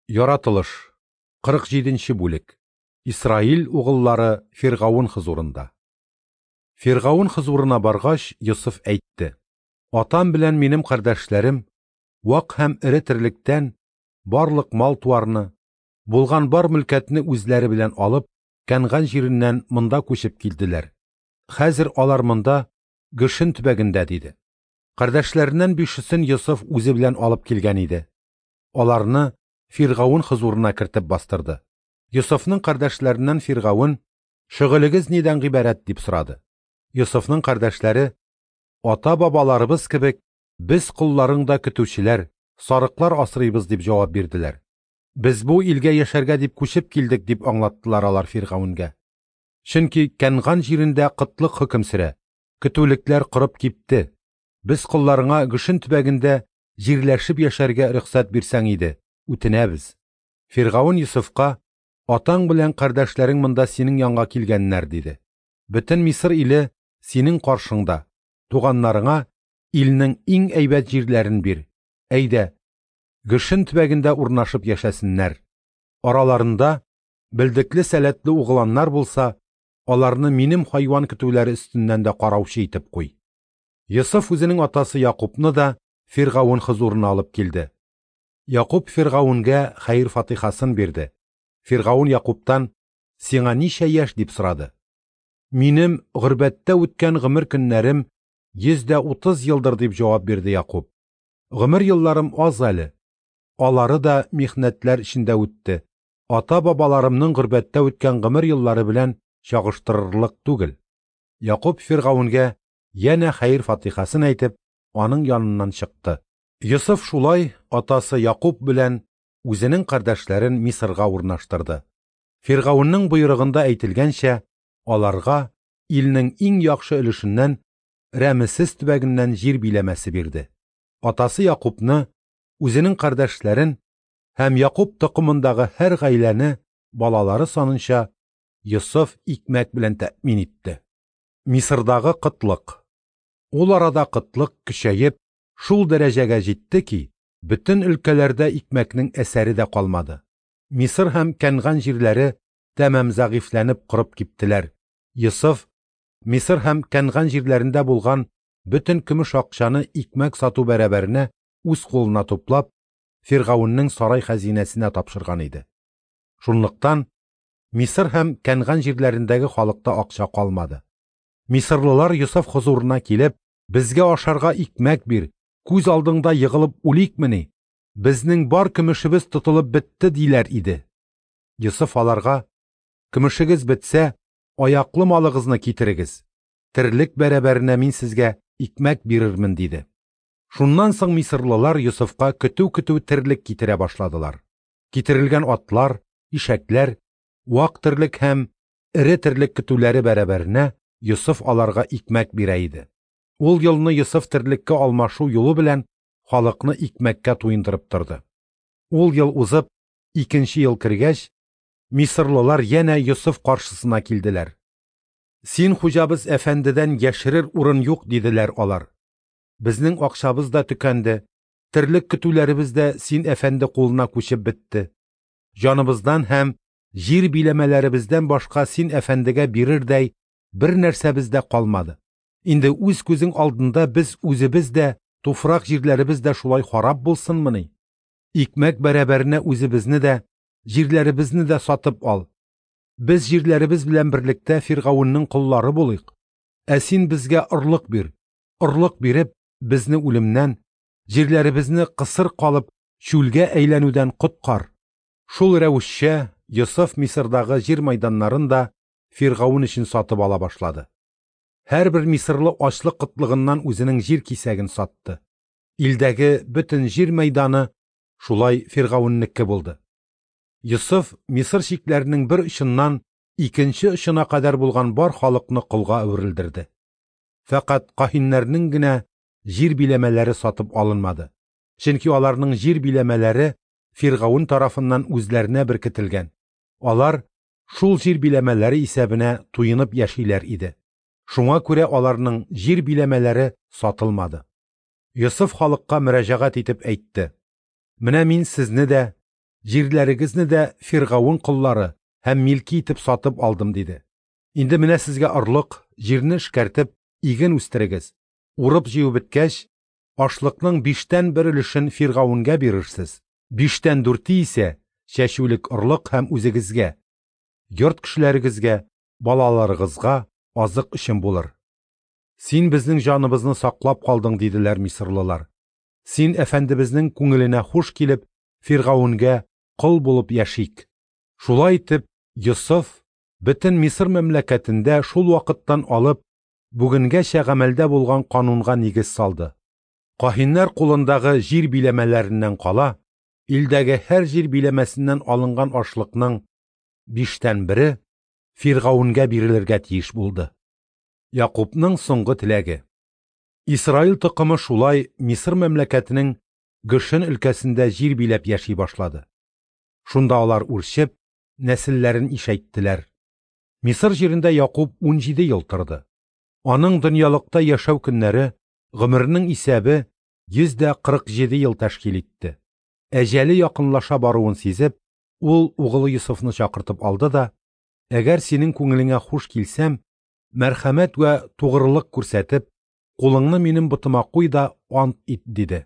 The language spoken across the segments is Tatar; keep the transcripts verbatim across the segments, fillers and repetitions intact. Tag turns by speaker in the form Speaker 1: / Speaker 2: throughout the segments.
Speaker 1: Яратылыш, кырык җиденче бүлек. Исраил угыллары Фиргавын хозурында. Фиргавын хозурына баргач, Йосыф әйтте: Атам белән минем кардәшләрем вак һәм эре терлектән барлык мал-туарны, булган бар мөлкәтне үзләре белән алып, Кәнган җиреннән монда күчеп килделәр. Хәзер алар монда, Гөшен төбәгендә, диде. Кардәшләреннән бишесен Йосыф үзе белән алып килгән иде. Аларны Фиргавын хозурына кертеп бастырды. Йосыфның кардәшләреннән Фиргавын: «Шөгылегез нидән гыйбарәт?» – дип сорады. Йосыфның кардәшләре: «Ата-бабаларыбыз кебек, без колларың да көтүчеләр, сарыклар асрыйбыз», – дип җавап бирделәр. «Без бу илгә яшәргә дип күчеп килдек», – дип аңлаттылар алар Фиргавенгә. «Чөнки Кәнган җирендә кытлык хөкем сөрә, көтүлекләр корып кипте. Без колларыңа Гөшен төбәгендә җирләшеп яшәргә рөхсәт бирсәң иде, үтенәбез». Фиргавен Йосыфка: «Атаң белән кардәшләрең монда синең янга килгәннәр», – диде. «Бөтен Мисыр иле синең каршыңда, туганнарыңа илнең иң әйбәт җирләрен бир. Әйдә, Гөшен төбәгендә урнашып яшәсеннәр. Араларында белдекле сәләтле угланнар булса, аларны минем хайван көтүләре өстеннән дә караучы итеп куй». Йосыф үзенең атасы Якубны да Фиргавен хозурына алып килде. Якуб Фиргавенгә хәер-фатихасын бирде. Фиргавен Якубтан: «Сиңа ничә яшь?» – дип сорады. «Минем горбәттә үткән гомер көннәрем йөз дә утыз елдыр», – дип җавап бирде Якуб. «Гомер елларым аз әле. Алары да михнәтләр эчендә үтте. Ата-бабаларымның горбәттә үткән гомер еллары белән чагыштырырлык түгел». Якуб Фиргавенгә янә хәер-фатихасын әйтеп, аның яныннан чыкты. Йосыф шулай атасы Якуб белән үзенең кардәшләрен Мисырга урнаштырды. Фиргавеннең боерыгында әйтелгәнчә, аларга илнең иң яхшы өлешеннән, Рәмесес төбәгеннән җир биләмәсе бирде. Атасы Якубны, үзенең кардәшләрен һәм Якуб токымындагы һәр гаиләне балалары санынча Йосыф икмәк белән тәэмин итте. Мисырдагы кытлык. Ул арада кытлык көчәеп, шул дәрәҗәгә җитте ки, бөтен өлкәләрдә икмәкнең әсәре дә калмады. Мисыр һәм Кәнган җирләре тәмам зәгыйфьләнеп корып киптеләр. Йосыф Мисыр һәм Кәнган җирләрендә булган бөтен көмеш акчаны икмәк сату бәрабәренә үз кулына туплап, Фиргавеннең сарай хәзинәсенә тапшырган иде. Шунлыктан Мисыр һәм Кәнган җирләрендәге халыкта акча калмады. Мисырлылар Йосыф хозурына килеп: «Безгә ашарга икмәк бир, күз алдыңда егылып үликмени? Безнең бар көмешебез тотылып бетте», – диләр иде. Йосыф аларга: «Көмешегез бетсә, аяклы малыгызны китерегез. Терлек бәрабәренә мин сезгә икмәк бирермен», – диде. Шуннан соң мисырлылар Йосыфка көтү-көтү терлек китерә башладылар. Китерелгән атлар, ишәкләр, вак терлек һәм эре терлек көтүләре бәрабәренә Йосыф аларга икмәк бирә иде. Ул елны Йосыф терлеккә алмашу юлы белән халыкны икмәккә туендырып торды. Ул ел узып, икенче ел кергәч, мисырлылар янә Йосыф каршысына килделәр. «Син хуҗабыз әфәндедән яшерер урын юк», – диделәр алар. «Безнең акчабыз да төкәнде, терлек көтүләребез дә син әфәнде кулына күчеп бетте. Җаныбыздан һәм җир биләмәләребездән башка син әфәндегә бирердәй бер нәрсәбез дә калмады. Инде үз күзең алдында без үзебез дә, туфрак җирләребез дә шулай харап булсынмыни? Икмәк бәрабәренә үзебезне дә, җирләребезне дә сатып ал. Без җирләребез белән берлектә Фиргавеннең коллары булыйк. Ә син безгә орлык бир. Орлык биреп, безне үлемнән, җирләребезне кысыр калып, чүлгә әйләнүдән коткар». Шул рәвешчә Йосыф Мисырдагы җир майданнарын да Фиргавен өчен сатып ала башлады. Һәрбер мисырлы ачлык кытлыгыннан үзенең җир кисәген сатты. Илдәге бөтен җир мәйданы шулай Фиргавеннеке булды. Йосыф Мисыр чикләренең бер очыннан икенче очына кадәр булган бар халыкны колга әверелдерде. Фәкать каһиннәрнең генә җир биләмәләре сатып алынмады. Чөнки аларның җир биләмәләре Фиргавен тарафыннан үзләренә беркетелгән. Алар шул җир биләмәләре исәбенә туенып яшиләр иде. Шуңа күрә аларның җир биләмәләре сатылмады. Йосыф халыкка мөрәҗәгать итеп әйтте: «Менә мин сезне дә, Җирләрегезне дә Фиргавен коллары һәм милки итеп сатып алдым, диде. Инде менә сезгә орлык, җирне эшкәртеп, иген үстерегез. Урып җыю беткәч, ашлыкның биштән бер өлешен Фиргавенгә бирерсез. Биштән дүрте исә чәчүлек орлык һәм үзегезгә, йорт кешеләрегезгә, балаларыгызга азык өчен булыр. Син безнең җаныбызны саклап калдың, диделәр мисырлылар. Син әфәндебезнең күңеленә хуш килеп, Фиргавенгә кол булып яшик. Шулай итеп, Йосыф бөтен Мисыр мәмләкәтендә шул вакыттан алып бүгенгәчә гамәлдә булган канунга нигез салды. Каһиннәр кулындагы җир биләмәләреннән кала, илдәге һәр җир биләмәсеннән алынган ашлыкның биштән бере Фиргавенгә бирелергә тиеш булды. Якубның соңгы теләге. Исраил токымы шулай Мисыр мәмләкәтенең Гошен өлкәсендә җир биләп яши башлады. Шунда алар үрчеп, нәселләрен ишәйттеләр. Мисыр җирендә Якуб унҗиде ел торды. Аның дөньялыкта яшәү көннәре, гомеренең исәбе йөз дә кырык җиде ел тәшкил итте. Әҗәле якынлаша баруын сизеп, ул угылы Йосыфны чакыртып алды да, әгәр синең күңелеңә хуш килсәм, мәрхәмәт вә тугрылык күрсәтеп, кулыңны минем ботыма куй да ант ит, диде.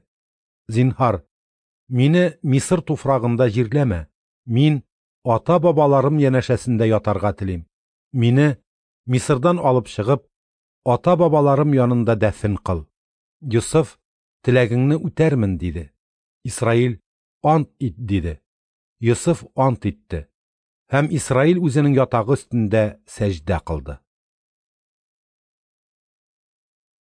Speaker 1: Зинһар, мине Мисыр туфрагында җирләмә. Мин ата-бабаларым янәшәсендә ятарга телим. Мине Мисырдан алып чыгып, ата-бабаларым янында дәфен кыл. Йосыф, теләгеңне үтәрмен, диде. Исраил, ант ит, диде. Йосыф ант итте. Һәм Исраил үзенең ятагы өстендә сәҗдә кылды.